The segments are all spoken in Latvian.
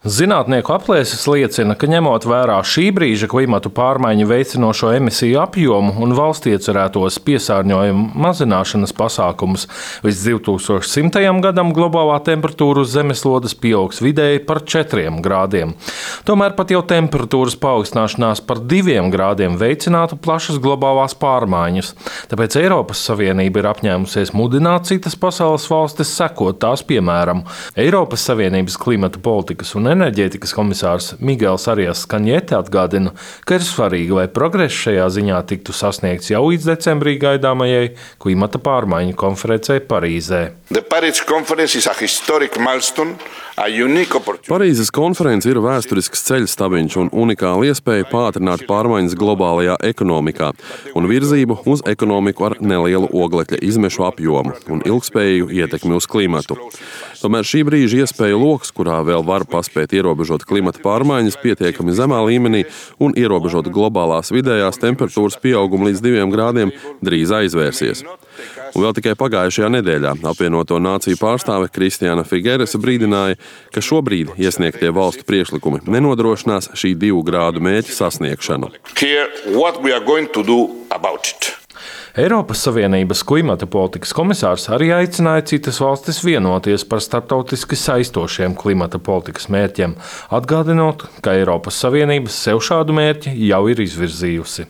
Zinātnieku aplēses liecina, ka ņemot vērā šī brīža klimatu pārmaiņu veicinošo emisiju apjomu un valsts iecerētos piesārņojumu mazināšanas pasākumus, līdz 2100. gadam globālā temperatūra uz zemeslodes pieaugs vidēji par 4 grādiem. Tomēr pat jau temperatūras paaugstināšanās par 2 grādiem veicinātu plašas globālās pārmaiņas. Tāpēc Eiropas Savienība ir apņēmusies mudināt citas pasaules valstis sekot tās piemēram. Eiropas Savienības klimata politikas un enerģētikas komisārs Miguels Arias Cañete atgādina, ka ir svarīgi, lai progress šajā ziņā tiktu sasniegts jau līdz decembrī gaidāmajai klimata pārmaiņu konferencei Parīzē. Parīzes konference ir vēsturisks ceļstabiņš un unikāla iespēja pātrināt pārmaiņas globālajā ekonomikā un virzību uz ekonomiku ar nelielu oglekļa izmešu apjomu un ilgspējīgu ietekmi uz klimatu. Tomēr šī brīža iespēja loks, kurā vēl var paspēt ierobežot klimata pārmaiņas pietiekami zemā līmenī un ierobežot globālās vidējās temperatūras pieaugumu līdz 2 grādiem, drīz aizvērsies. Un vēl tikai pagājušajā nedēļā apvienoto nāciju pārstāve Kristiāna Figueresa brīdināja, ka šobrīd iesniegtie valstu priekšlikumi nenodrošinās šī 2 grādu mērķa sasniegšanu. Eiropas Savienības klimata politikas komisārs arī aicināja citas valstis vienoties par starptautiski saistošiem klimata politikas mērķiem, atgādinot, ka Eiropas Savienība sev šādu mērķi jau ir izvirzījusi.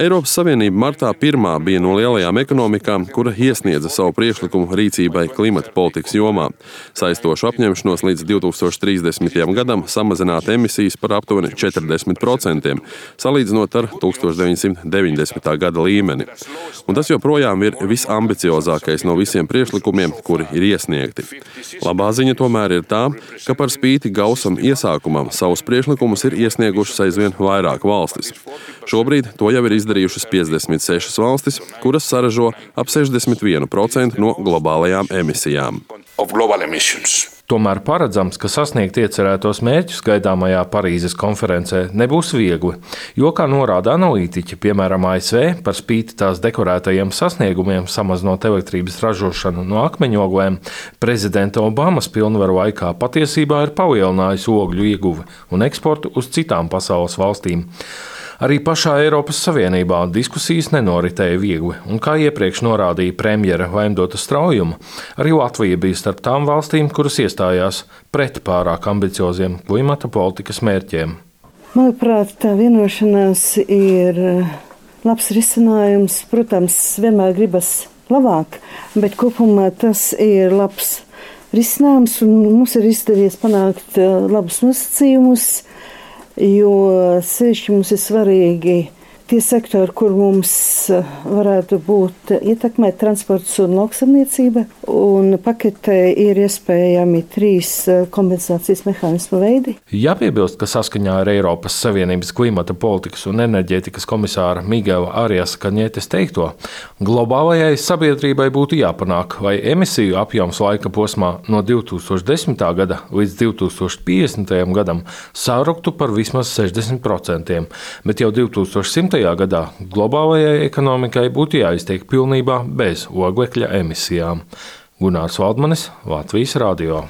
Eiropas Savienība martā pirmā bija no lielajām ekonomikām, kura iesniedza savu priekšlikumu rīcībai klimata politikas jomā, saistošu apņemšanos līdz 2030. gadam samazināt emisijas par aptuveni 40%. Salīdzinot ar 1990. gada līmeni. Un tas joprojām ir visambiciozākais no visiem priekšlikumiem, kuri ir iesniegti. Labā ziņa tomēr ir tā, ka par spīti gausam iesākumam savus priekšlikumus ir iesniegušas aizvien vairāk valstis. Šobrīd to jau ir izdarījušas 56 valstis, kuras saražo ap 61% no globālajām emisijām. Tomēr paredzams, ka sasniegt iecerētos mērķus gaidāmajā Parīzes konferencē nebūs viegli, jo, kā norāda analītiķi, piemēram ASV, par spīti tās dekorētajiem sasniegumiem samazinot elektrības ražošanu no akmeņoglēm, prezidenta Obamas pilnvaru laikā patiesībā ir palielinājusi ogļu ieguvi un eksportu uz citām pasaules valstīm. Arī pašā Eiropas Savienībā diskusijas nenoritēja viegli, un kā iepriekš norādīja premjera Vaimdota Straujuma, arī Latvija bija starp tām valstīm, kuras iestājās pret pārāk ambicioziem klimata politikas mērķiem. Manuprāt, tā vienošanās ir labs risinājums. Protams, vienmēr gribas labāk, bet kopumā tas ir labs risinājums, un mums ir izdevies panākt labus nosacījumus. Jo sevišķi mums ir svarīgi tie sektori, kur mums varētu būt ietekmēt transports un lauksaimniecība. Un paketē ir iespējami 3 kompensācijas mehānismu veidi. Jāpiebilst, ka saskaņā ar Eiropas Savienības klimata politikas un enerģētikas komisāra Miguela Arias Cañetes teikto, globālajai sabiedrībai būtu jāpanāk, lai emisiju apjoms laika posmā no 2010. gada līdz 2050. gadam sāruktu par vismaz 60%, bet jau 2100. gadā globālajai ekonomikai būtu jāiztiek pilnībā bez oglekļa emisijām. Gunārs Valdmanis, Latvijas radio.